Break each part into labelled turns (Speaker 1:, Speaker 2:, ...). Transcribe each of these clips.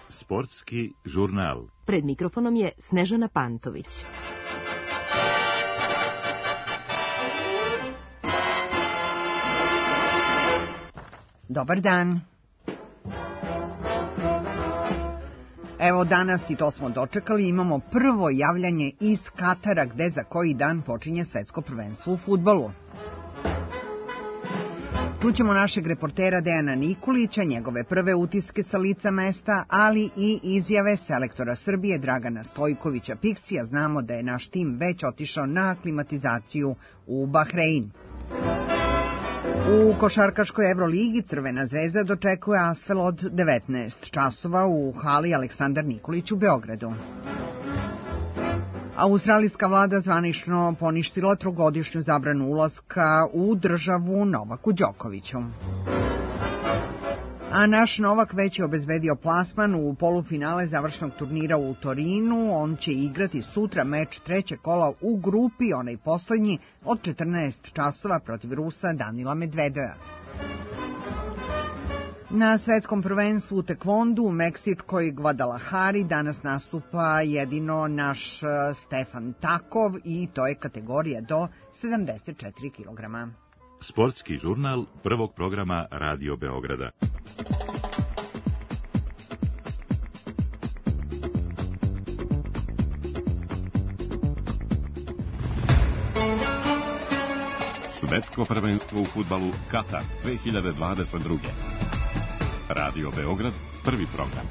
Speaker 1: Sportski žurnal.
Speaker 2: Pred mikrofonom je Snežana Pantović.
Speaker 3: Dobar dan. Evo danas, i to smo dočekali, imamo prvo javljanje iz Katara, gde za koji dan počinje svetsko prvenstvo u fudbalu. Čućemo našeg reportera Dejana Nikolića, njegove prve utiske sa lica mesta, ali i izjave selektora Srbije Dragana Stojkovića Piksija. Znamo da je naš tim već otišao na aklimatizaciju u Bahrein. U košarkaškoj Evroligi Crvena zvezda dočekuje Asvel od 19 časova u hali Aleksandar Nikolić u Beogradu. Australijska vlada zvanično poništila trogodišnju zabranu ulaska u državu Novaku Đokoviću. A naš Novak već je obezbedio plasman u polufinale završnog turnira u Torinu. On će igrati sutra meč trećeg kola u grupi, onaj poslednji, od 14 časova protiv Rusa Danila Medvedeva. Na svetskom prvenstvu u tekvondu u meksičkoj Guadalajari danas nastupa jedino naš Stefan Takov i to je kategorija do 74 kg.
Speaker 1: Sportski žurnal prvog programa Radio Beograda.
Speaker 4: Svetsko prvenstvo u fudbalu Katar 2022. Radio Beograd, prvi program.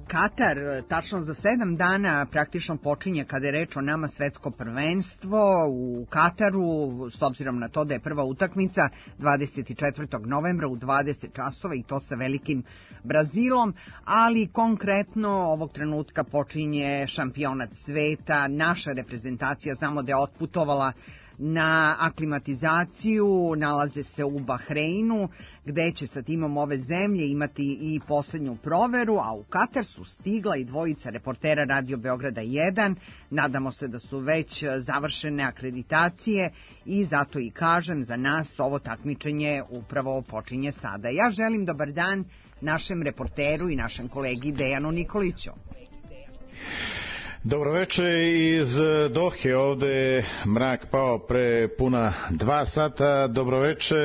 Speaker 3: Katar, tačno za 7 dana praktično počinje kada je reč o nama svetsko prvenstvo u Kataru, s obzirom na to da je prva utakmica 24. novembra u 20 časova i to sa velikim Brazilom, ali konkretno ovog trenutka počinje šampionat sveta. Naša reprezentacija, znamo da je otputovala na aklimatizaciju, nalaze se u Bahreinu, gde će sa timom ove zemlje imati i poslednju proveru, a u Katar su stigla i dvojica reportera Radio Beograda 1. Nadamo se da su već završene akreditacije i zato i kažem, za nas ovo takmičenje upravo počinje sada. Ja želim dobar dan našem reporteru i našem kolegi Dejanu Nikoliću.
Speaker 5: Dobroveče iz Dohe, ovde mrak pao pre puna 2 sata. Dobroveče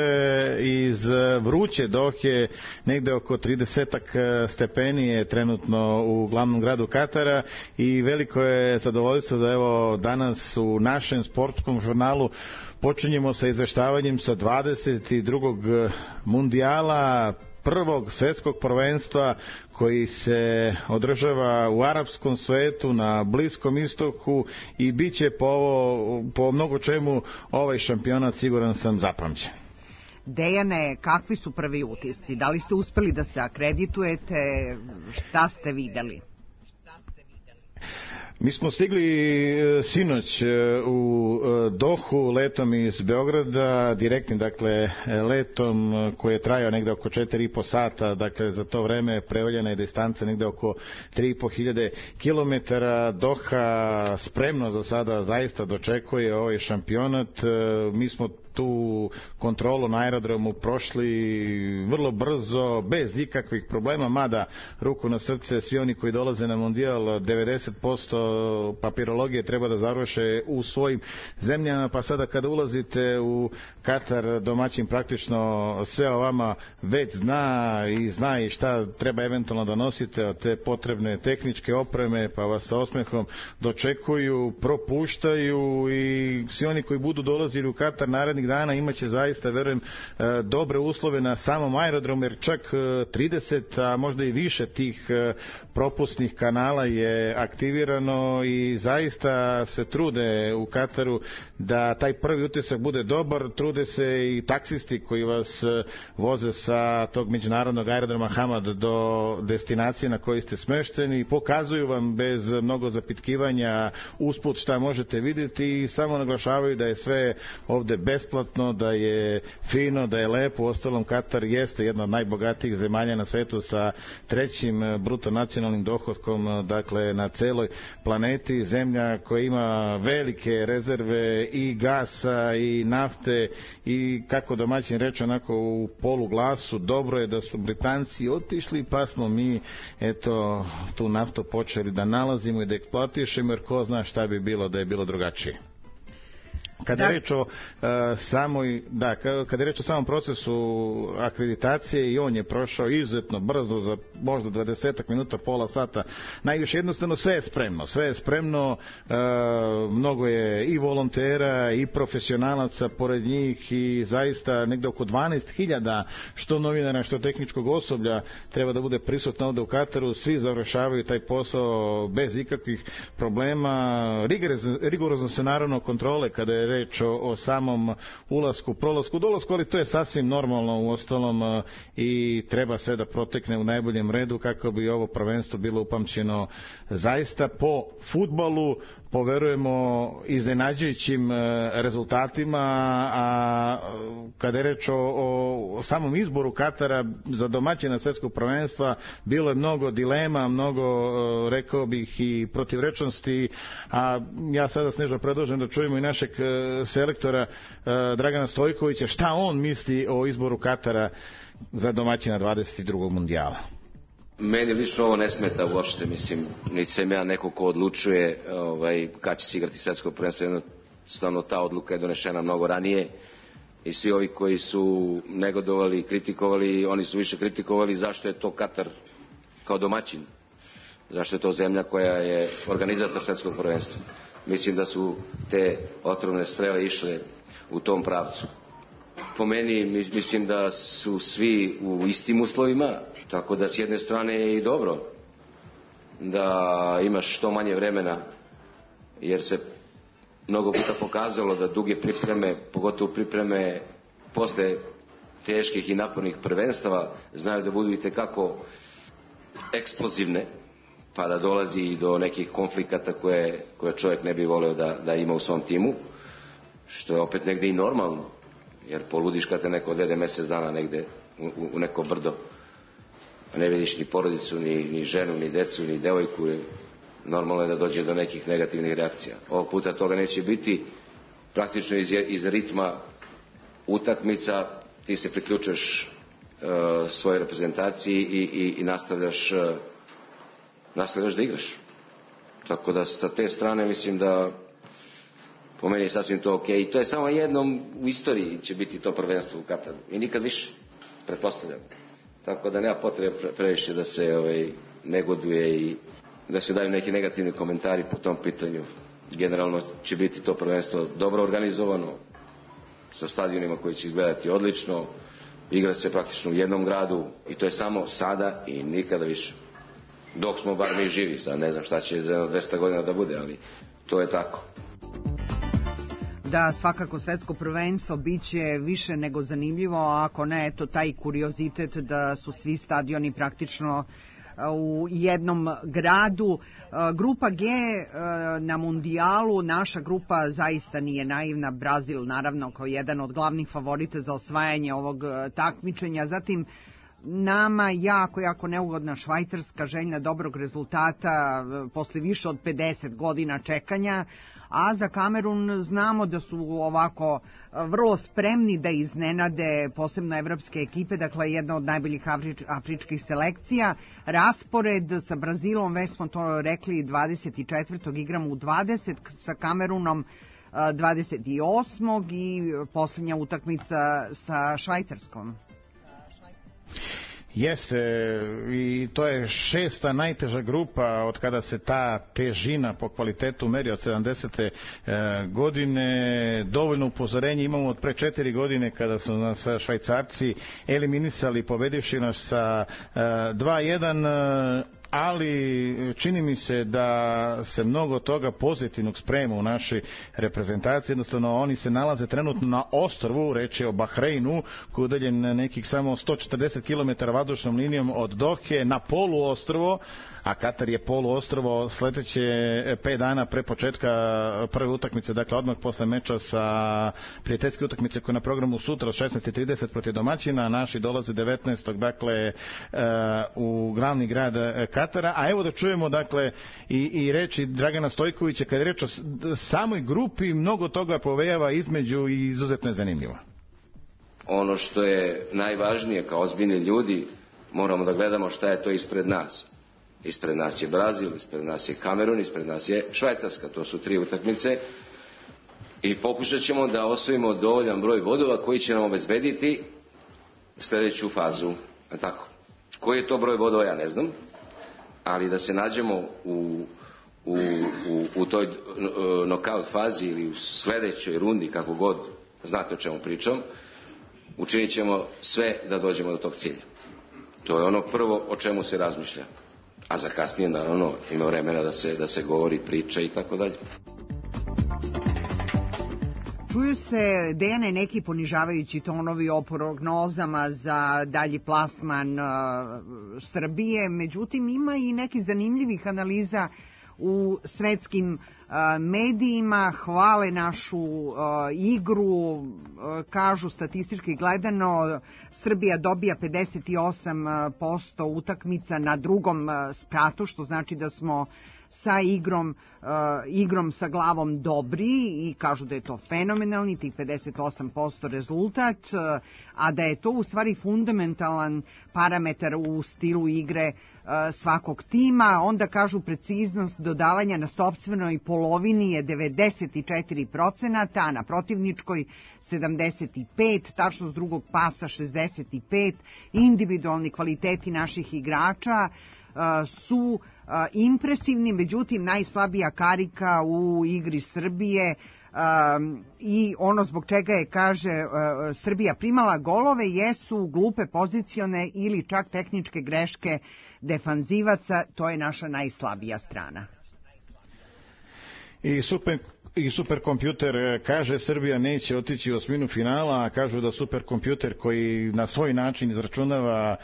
Speaker 5: iz vruće Dohe, negde oko 30 stepeni je trenutno u glavnom gradu Katara i veliko je zadovoljstvo da evo danas u našem sportskom žurnalu počinjemo sa izveštavanjem sa 22. mundijala, prvog svetskog prvenstva koji se održava u arapskom svetu, na Bliskom istoku i bit će po mnogo čemu ovaj šampionat, siguran sam, zapamćen.
Speaker 3: Dejane, kakvi su prvi utisci? Da li ste uspeli da se akreditujete? Šta ste videli?
Speaker 5: Mi smo stigli sinoć u Dohu letom iz Beograda, direktnim dakle letom koji je trajao negde oko 4,5 sata, dakle za to vreme prevaljena je distanca negde oko 3.500 kilometara. Doha spremno za sada zaista dočekuje ovaj šampionat. Mi smo tu kontrolu na aerodromu prošli vrlo brzo, bez ikakvih problema, mada ruku na srce, svi oni koji dolaze na mondijal 90% papirologije treba da završe u svojim zemljama, pa sada kada ulazite u Katar, domaćin praktično sve o vama već zna i šta treba eventualno da nosite od te potrebne tehničke opreme, pa vas sa osmehom dočekuju, propuštaju i svi oni koji budu dolazili u Katar narednih dana imaće zaista, verujem, dobre uslove na samom aerodromu, jer čak 30, a možda i više tih propusnih kanala je aktivirano i zaista se trude u Kataru da taj prvi utisak bude dobar. Trude se i taksisti koji vas voze sa tog međunarodnog aerodroma Hamad do destinacije na kojoj ste smešteni, pokazuju vam bez mnogo zapitkivanja usput šta možete vidjeti i samo naglašavaju da je sve ovde besplatno besplatno, da je fino, da je lepo. Uostalom, Katar jeste jedna od najbogatijih zemalja na svetu sa 3. bruto nacionalnim dohotkom, dakle na celoj planeti, zemlja koja ima velike rezerve i gasa i nafte i kako domaćin reče onako u poluglasu, dobro je da su Britanci otišli pa smo mi eto tu naftu počeli da nalazimo i da eksploatišemo, jer ko zna šta bi bilo da je bilo drugačije. Kada je reč o kada je reč o samom procesu akreditacije, i on je prošao izuzetno brzo, za možda 20 minuta, pola sata, najviše. Jednostavno sve je spremno, mnogo je i volontera i profesionalaca pored njih i zaista negde oko 12.000 što novinara, što tehničkog osoblja treba da bude prisutno ovde u Kataru. Svi završavaju taj posao bez ikakvih problema. Rigorozno se naravno kontrole kada je reč o samom ulasku, prolasku, dolasku, ali to je sasvim normalno uostalom i treba sve da protekne u najboljem redu kako bi ovo prvenstvo bilo upamćeno zaista po fudbalu, poverujemo iznenađujućim rezultatima, a kada je reč o samom izboru Katara za domaćina svetskog prvenstva, bilo je mnogo dilema, mnogo, rekao bih, i protivrečnosti, a ja sada, Sneža, predlažem da čujemo i našeg selektora Dragana Stojkovića, šta on misli o izboru Katara za domaćina 22. mundijala.
Speaker 6: Meni lično ovo ne smeta uopšte, mislim, niti sam ja neko ko odlučuje kad će se igrati svetsko prvenstvo, jednostavno ta odluka je donešena mnogo ranije i svi ovi koji su negodovali, kritikovali, oni su više kritikovali zašto je to Katar kao domaćin, zašto je to zemlja koja je organizator svetskog prvenstva. Mislim da su te otrovne strele išle u tom pravcu. Po meni mislim da su svi u istim uslovima, tako da s jedne strane je i dobro da imaš što manje vremena, jer se mnogo puta pokazalo da duge pripreme, pogotovo pripreme posle teških i napornih prvenstava, znaju da budu itekako eksplozivne, pa da dolazi i do nekih konflikata koje čovjek ne bi voleo da ima u svom timu, što je opet negde i normalno, jer poludiš kad te neko odvede mjesec dana negde u neko brdo, a ne vidiš ni porodicu, ni ženu, ni decu, ni devojku. Normalno je da dođe do nekih negativnih reakcija. Ovog puta toga neće biti. Praktično iz ritma utakmica ti se priključuješ svojoj reprezentaciji i nastavljaš da igraš. Tako da sa te strane mislim da po meni je sasvim to ok. I to je samo jednom u istoriji će biti to prvenstvo u Kataru. I nikad više, pretpostavljam. Tako da nema potrebe previše da se negoduje i da se daju neki negativni komentari po tom pitanju. Generalno će biti to prvenstvo dobro organizovano, sa stadionima koji će izgledati odlično, igra se praktično u jednom gradu i to je samo sada i nikada više. Dok smo bar mi živi, sad ne znam šta će za 200 godina da bude, ali to je tako.
Speaker 3: Da, svakako svetsko prvenstvo biće više nego zanimljivo, a ako ne, eto taj kuriozitet da su svi stadioni praktično u jednom gradu. Grupa G na mundijalu, naša grupa zaista nije naivna, Brazil naravno kao jedan od glavnih favorita za osvajanje ovog takmičenja, zatim nama jako neugodna Švajcarska, željna dobrog rezultata posle više od 50 godina čekanja, a za Kamerun znamo da su ovako vrlo spremni da iznenade posebno evropske ekipe, dakle jedna od najboljih afričkih selekcija. Raspored sa Brazilom, već smo to rekli, 24. igramo u 20, sa Kamerunom 28. i posljednja utakmica sa Švajcarskom.
Speaker 5: Jeste, i to je 6. najteža grupa od kada se ta težina po kvalitetu meri od 70. godine. Dovoljno upozorenje imamo od pre 4 godine kada su nas Švajcarci eliminisali, pobedivši nas sa 2-1, ali čini mi se da se mnogo toga pozitivnog sprema u našoj reprezentaciji. Jednostavno oni se nalaze trenutno na ostrvu, reč je o Bahreinu, koji je udaljen nekih samo 140 km vazdušnom linijom od Dohe, na poluostrvo, a Katar je poluostrvo. Sledeće 5 dana pre početka prve utakmice, dakle odmah posle meča sa prijateljske utakmice koja je na programu sutra od 16:30 protiv domaćina, naši dolaze 19. dakle u glavni grad Katara, a evo da čujemo dakle i reči Dragana Stojkovića kada je reč o samoj grupi, mnogo toga povejava između i izuzetno je zanimljivo.
Speaker 6: Ono što je najvažnije kao ozbiljni ljudi, moramo da gledamo šta je to ispred nas. Ispred nas je Brazil, ispred nas je Kamerun, ispred nas je Švajcarska. To su 3 utakmice i pokušat ćemo da osvojimo dovoljan broj bodova koji će nam obezbediti sljedeću fazu. Tako. Koji je to broj bodova ja ne znam, ali da se nađemo u toj nokaut fazi ili u sljedećoj rundi, kako god, znate o čemu pričam, učinit ćemo sve da dođemo do tog cilja. To je ono prvo o čemu se razmišlja. A za kasnije, naravno, ima vremena da se govori, priča i tako dalje.
Speaker 3: Čuju se, Dejane, neki ponižavajući tonovi o prognozama za dalji plasman Srbije, međutim ima i nekih zanimljivih analiza u svetskim medijima, hvale našu igru, kažu statistički gledano Srbija dobija 58% utakmica na drugom spratu, što znači da smo sa igrom sa glavom dobri i kažu da je to fenomenalni, tih 58% rezultat, a da je to u stvari fundamentalan parametar u stilu igre svakog tima. Onda kažu preciznost dodavanja na sopstvenoj polovini je 94%, a na protivničkoj 75%, tačnost drugog pasa 65%, individualni kvaliteti naših igrača su impresivni, međutim najslabija karika u igri Srbije i ono zbog čega je, kaže, Srbija primala golove jesu glupe pozicione ili čak tehničke greške defanzivaca, to je naša najslabija strana.
Speaker 5: I superkompjuter kaže Srbija neće otići u osminu finala, a kažu da superkompjuter koji na svoj način izračunava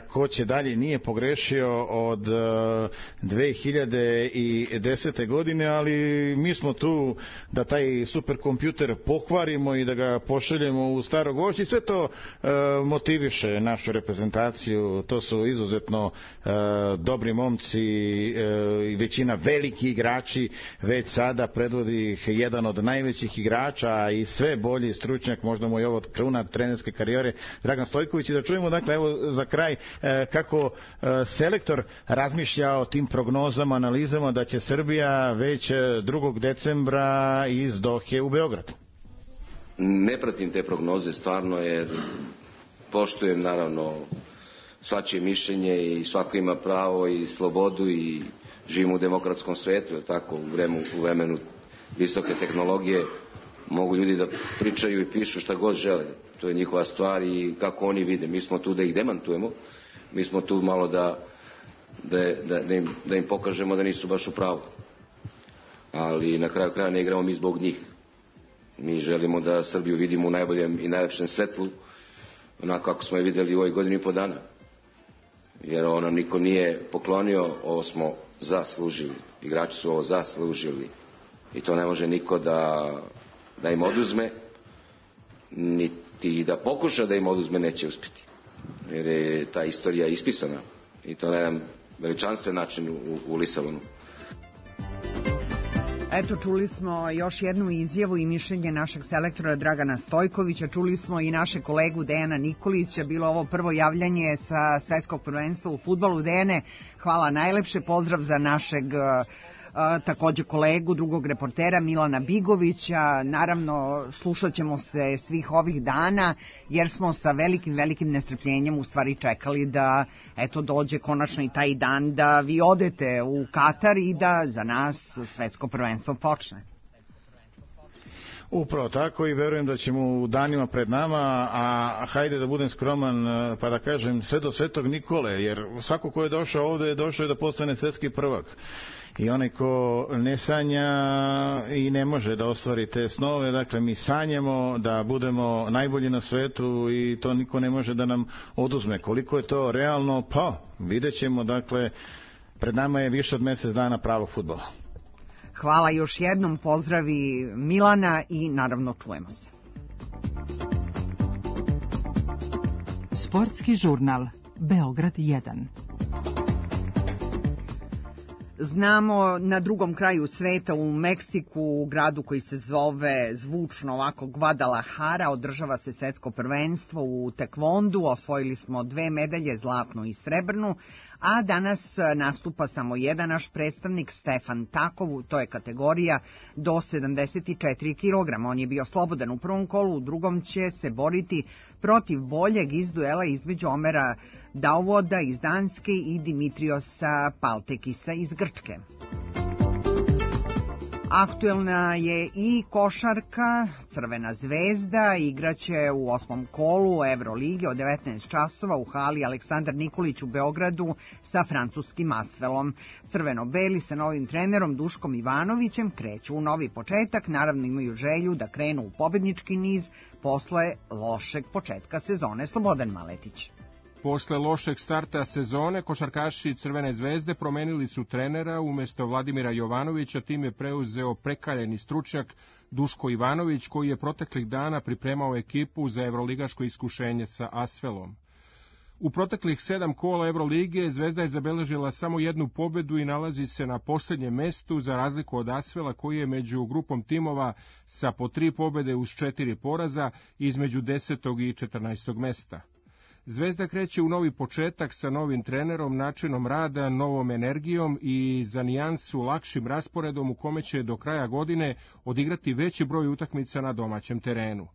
Speaker 5: ko će dalje nije pogrešio od 2010. godine, ali mi smo tu da taj superkompjuter pokvarimo i da ga pošaljemo u staro gvožđe i sve to motiviše našu reprezentaciju. To su izuzetno dobri momci i većina veliki igrači već sada predvodi jedan od najvećih igrača i sve bolji stručnjak, možda mu je ovo kruna trenerske karijere, Dragan Stojković. I da čujemo, dakle, evo za kraj, kako selektor razmišlja o tim prognozama, analizama da će Srbija već 2. decembra iz Dohe u Beograd.
Speaker 6: Ne pratim te prognoze, stvarno, jer poštujem, naravno, svačije mišljenje i svako ima pravo i slobodu i živimo u demokratskom svetu, je tako, u vremenu visoke tehnologije, mogu ljudi da pričaju i pišu šta god žele. To je njihova stvar i kako oni vide. Mi smo tu da ih demantujemo, mi smo tu malo da im pokažemo da nisu baš u pravu. Ali na kraju kraja ne igramo mi zbog njih. Mi želimo da Srbiju vidimo u najboljem i najlepšem svetlu, onako kako smo je vidjeli u ovoj godini i po dana. Jer ono niko nije poklonio, ovo smo zaslužili. Igrači su ovo zaslužili. I to ne može niko da im oduzme, niti da pokuša da im oduzme neće uspjeti. Jer je ta istorija ispisana i to na jedan veličanstven način u Lisabonu.
Speaker 3: Eto, čuli smo još jednu izjavu i mišljenje našeg selektora Dragana Stojkovića, čuli smo i naše kolegu Dejana Nikolića, bilo ovo prvo javljanje sa svetskog prvenstva u fudbalu. Dejane, hvala najlepše, pozdrav za našeg takođe kolegu, drugog reportera Milana Bigovića. Naravno, slušat ćemo se svih ovih dana, jer smo sa velikim nestrpljenjem u stvari čekali da eto dođe konačno i taj dan da vi odete u Katar i da za nas svetsko prvenstvo počne.
Speaker 5: Upravo tako i verujem da ćemo u danima pred nama, a hajde da budem skroman pa da kažem sve do Svetog Nikole, jer svako ko je došao ovde došao je da postane svetski prvak. I onaj ko ne sanja i ne može da ostvari te snove, dakle mi sanjamo da budemo najbolji na svetu i to niko ne može da nam oduzme. Koliko je to realno? Pa vidjet ćemo, dakle Pred nama je više od mjesec dana pravog fudbala.
Speaker 3: Hvala još jednom, pozdravi Milana i naravno čujemo se.
Speaker 2: Sportski žurnal Beograd 1.
Speaker 3: Znamo, na drugom kraju sveta, u Meksiku, u gradu koji se zove zvučno ovako Guadalajara, održava se svetsko prvenstvo u tekvondu. Osvojili smo 2 medalje, zlatnu i srebrnu, a danas nastupa samo jedan naš predstavnik, Stefan Takov, to je kategorija do 74 kg. On je bio slobodan u prvom kolu, u drugom će se boriti protiv boljeg iz duela između Omera Dauvoda iz Danske i Dimitriosa Paltekisa iz Grčke. Aktuelna je i košarka. Crvena zvezda igraće u 8. kolu Evrolige od 19 časova u hali Aleksandar Nikolić u Beogradu sa francuskim Asvelom. Crveno-beli sa novim trenerom Duškom Ivanovićem kreću u novi početak. Naravno imaju želju da krenu u pobednički niz posle lošeg početka sezone. Slobodan Maletić.
Speaker 7: Posle lošeg starta sezone, košarkaši Crvene zvezde promenili su trenera. Umesto Vladimira Jovanovića tim je preuzeo prekaljeni stručnjak Duško Ivanović, koji je proteklih dana pripremao ekipu za evroligaško iskušenje sa Asvelom. U proteklih 7 kola Evrolige Zvezda je zabeležila samo 1 pobedu i nalazi se na posljednjem mestu, za razliku od Asvela koji je među grupom timova sa po 3 pobede uz 4 poraza između 10. i 14. mesta. Zvezda kreće u novi početak sa novim trenerom, načinom rada, novom energijom i za nijansu lakšim rasporedom u kome će do kraja godine odigrati veći broj utakmica na domaćem terenu.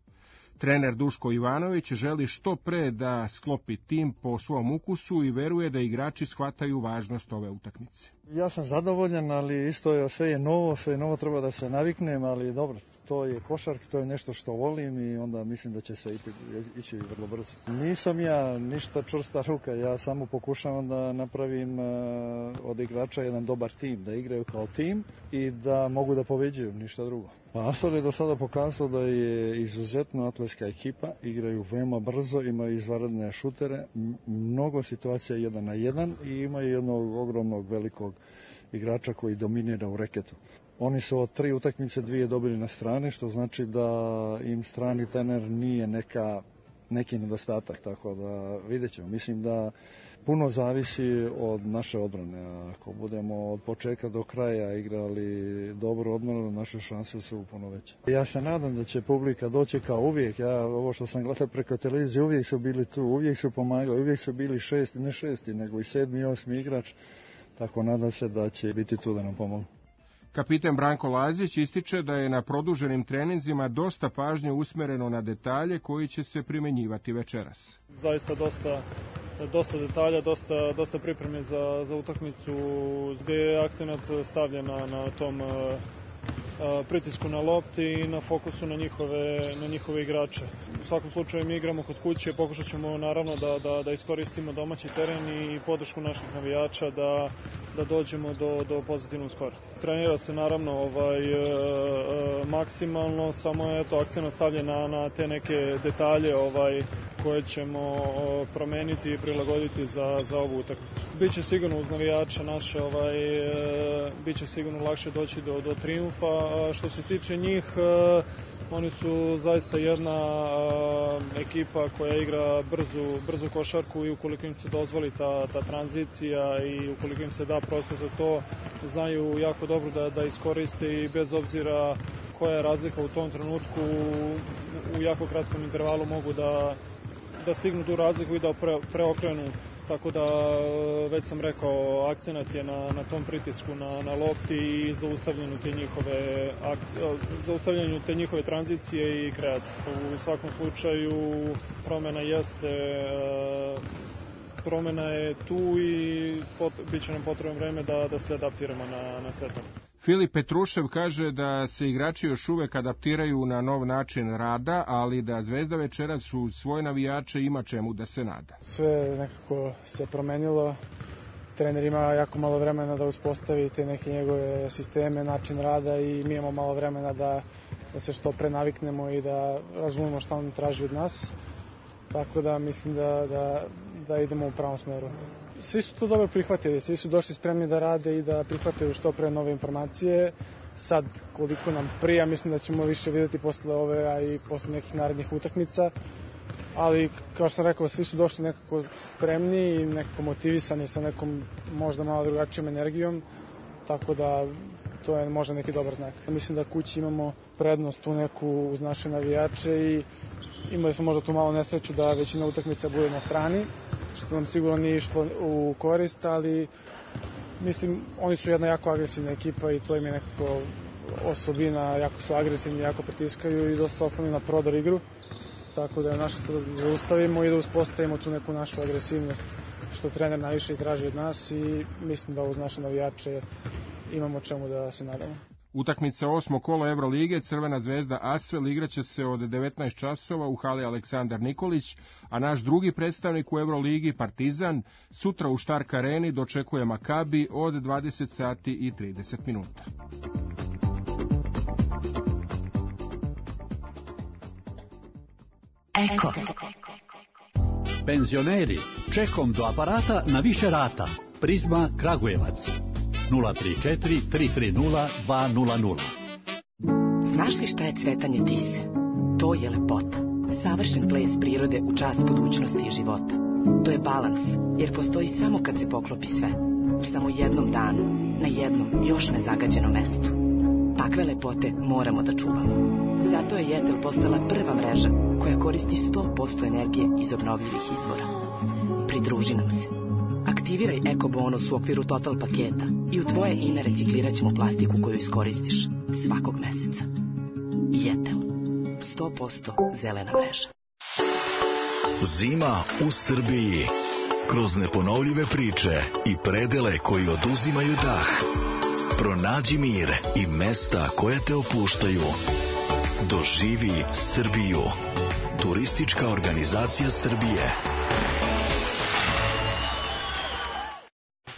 Speaker 7: Trener Duško Ivanović želi što pre da sklopi tim po svom ukusu i veruje da igrači shvataju važnost ove utakmice.
Speaker 8: Ja sam zadovoljan, ali isto sve je novo treba da se naviknem, ali dobro, to je košarka, to je nešto što volim i onda mislim da će sve ići vrlo brzo. Nisam ja ništa čvrsta ruka, ja samo pokušavam da napravim od igrača jedan dobar tim, da igraju kao tim i da mogu da pobeđuju, ništa drugo. Asvel je do sada pokazao da je izuzetno atletska ekipa, igraju veoma brzo, imaju izvanredne šutere, mnogo situacija 1 na 1 i imaju jednog ogromnog velikog igrača koji dominira u reketu. Oni su od 3 utakmice 2 dobili na strani, što znači da im strani trener nije neki nedostatak, tako da vidjet ćemo. Mislim da puno zavisi od naše odbrane. Ako budemo od početka do kraja igrali dobru odbranu, naše šanse su puno veće. Ja se nadam da će publika doći kao uvijek. Ovo što sam gledao preko televizije, uvijek su bili tu, uvijek su pomagali, uvijek su bili ne šesti, nego i 7. i 8. igrač. Tako nadam se da će biti tu da nam pomogu.
Speaker 7: Kapiten Branko Lazić ističe da je na produženim treninzima dosta pažnje usmereno na detalje koji će se primenjivati večeras.
Speaker 9: Zaista dosta detalja, dosta pripreme za utakmicu, gdje je akcenat stavljen na tom pritisku na lopti i na fokusu na njihove igrače. U svakom slučaju mi igramo kod kuće, pokušat ćemo naravno da iskoristimo domaći teren i podršku naših navijača da dođemo do pozitivnog skora. Trenira se naravno maksimalno, samo je akcenat stavljen na te neke detalje koje ćemo promeniti i prilagoditi za ovu utakmicu. Biće sigurno uz navijača naše, biće sigurno lakše doći do trijumfa. Što se tiče njih, oni su zaista jedna ekipa koja igra brzu košarku i ukoliko im se dozvoli ta tranzicija i ukoliko im se da prostor za to, znaju jako dobro da iskoriste i bez obzira koja je razlika u tom trenutku, u jako kratkom intervalu mogu da stignu tu razliku i da preokrenu. Tako da, već sam rekao, akcenat je na tom pritisku na lopti i zaustavljanju te njihove tranzicije i kreacije. U svakom slučaju promjena je tu i bit će nam potrebno vreme da se adaptiramo na sve to.
Speaker 7: Filip Petrušev kaže da se igrači još uvek adaptiraju na nov način rada, ali da Zvezda večeras uz svoje navijače ima čemu da se nada.
Speaker 10: Sve nekako se promenilo. Trener ima jako malo vremena da uspostavi te neke njegove sisteme, način rada i mi imamo malo vremena da se što pre naviknemo i da razumemo šta on traži od nas. Tako da mislim da idemo u pravom smeru. Svi su to dobro prihvatili, svi su došli spremni da rade i da prihvataju što pre nove informacije. Sad, koliko nam prija, mislim da ćemo više vidjeti posle ove, a i posle nekih narednih utakmica. Ali, kao što sam rekao, svi su došli nekako spremni i nekako motivisani sa nekom možda malo drugačijom energijom, tako da to je možda neki dobar znak. Mislim da kući imamo prednost tu neku uz naše navijače i imali smo možda tu malo nesreću da većina utakmica bude na strani, što nam sigurno nije išlo u korist, ali mislim, oni su jedna jako agresivna ekipa i to im je nekako osobina, jako su agresivni, jako pritiskaju i dosta se ostavljaju na prodor igru. Tako da je naše to da zaustavimo i da uspostavimo tu neku našu agresivnost, što trener najviše i traži od nas i mislim da uz naše navijače imamo čemu da se nadamo.
Speaker 7: Utakmica 8. kola Evrolige, Crvena zvezda Asvel igraće se od 19 časova u hali Aleksandar Nikolić, a naš drugi predstavnik u Evroligi Partizan sutra u Štark areni dočekuje Makabi od 20 sati i 30 minuta.
Speaker 11: Eko. Penzioneri, čekom do aparata na više rata. Prizma Kragujevac. 034 330 200.
Speaker 12: Znaš li šta je cvetanje tise? To je lepota. Savršen ples prirode u čast budućnosti i života. To je balans, jer postoji samo kad se poklopi sve. U samo jednom danu, na jednom još nezagađenom mestu. Takve lepote moramo da čuvamo. Zato je Jetel postala prva mreža koja koristi 100% energije iz obnovljivih izvora. Pridruži nam se. Aktiviraj Eko bonus u okviru Total paketa i u tvoje ime reciklirat ćemo plastiku koju iskoristiš svakog meseca. Jetel. 100% zelena mreža.
Speaker 13: Zima u Srbiji. Kroz neponovljive priče i predele koji oduzimaju dah. Pronađi mir i mesta koja te opuštaju. Doživi Srbiju. Turistička organizacija Srbije.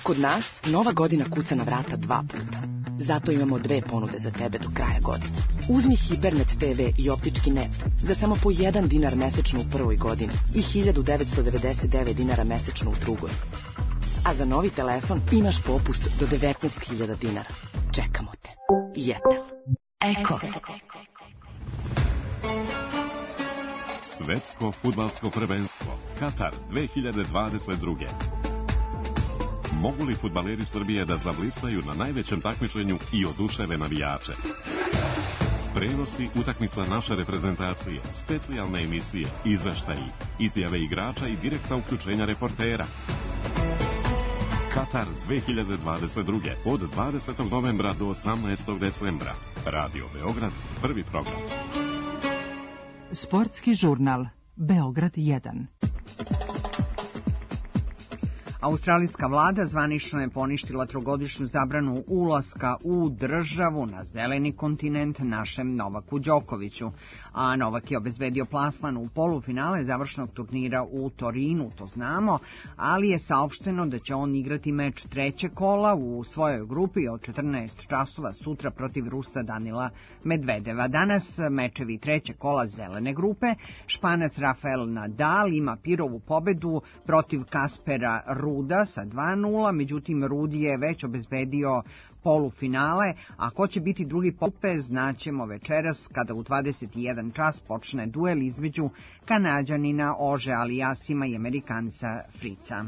Speaker 12: Kod nas Nova godina kuca na vrata 2 puta. Zato imamo 2 ponude za tebe do kraja godine. Uzmi Hipernet TV i optički net za samo po 1 dinar mesečno u prvoj godini i 1999 dinara mesečno u drugoj. A za novi telefon imaš popust do 19.000 dinara. Čekamo te. Jetel.
Speaker 11: Eko.
Speaker 4: Svetsko fudbalsko prvenstvo Katar 2022. Mogu li fudbaleri Srbije da zablistaju na najvećem takmičenju i oduševe navijače? Prenosi utakmica naše reprezentacije, specijalne emisije, izveštaji, izjave igrača i direktna uključenja reportera. Katar 2022. od 20. novembra do 18. decembra. Radio Beograd, prvi program.
Speaker 2: Sportski žurnal Beograd 1.
Speaker 3: Australijska vlada zvanično je poništila trogodišnju zabranu ulaska u državu na zeleni kontinent našem Novaku Đokoviću, a Novak je obezbedio plasman u polufinale završnog turnira u Torinu, to znamo, ali je saopšteno da će on igrati meč trećeg kola u svojoj grupi od 14 časova sutra protiv Rusa Danila Medvedeva. Danas mečevi trećeg kola zelene grupe. Španac Rafael Nadal ima Pirovu pobedu protiv Kaspera Ruda sa 2:0, međutim Rudi je već obezbedio polufinale, a ko će biti drugi pope znaćemo večeras kada u 21 čas počne duel između Kanađanina Ože Alijasima i Amerikanca Frica.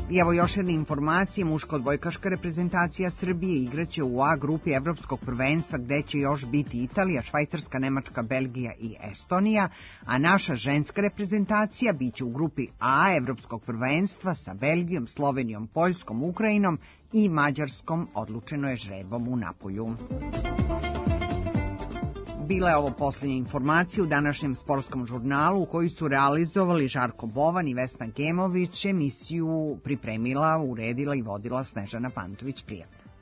Speaker 3: I evo još jedne informacije, muška odbojkaška reprezentacija Srbije igraće u A grupi Evropskog prvenstva gde će još biti Italija, Švajcarska, Nemačka, Belgija i Estonija, a naša ženska reprezentacija biće u grupi A Evropskog prvenstva sa Belgijom, Slovenijom, Poljskom, Ukrajinom i Mađarskom, odlučeno je žrebom u Napolju. Bila je ovo posljednja informacija u današnjem sportskom žurnalu u koji su realizovali Žarko Bovan i Vesna Gemović. Emisiju pripremila, uredila i vodila Snežana Pantović. Prijatno.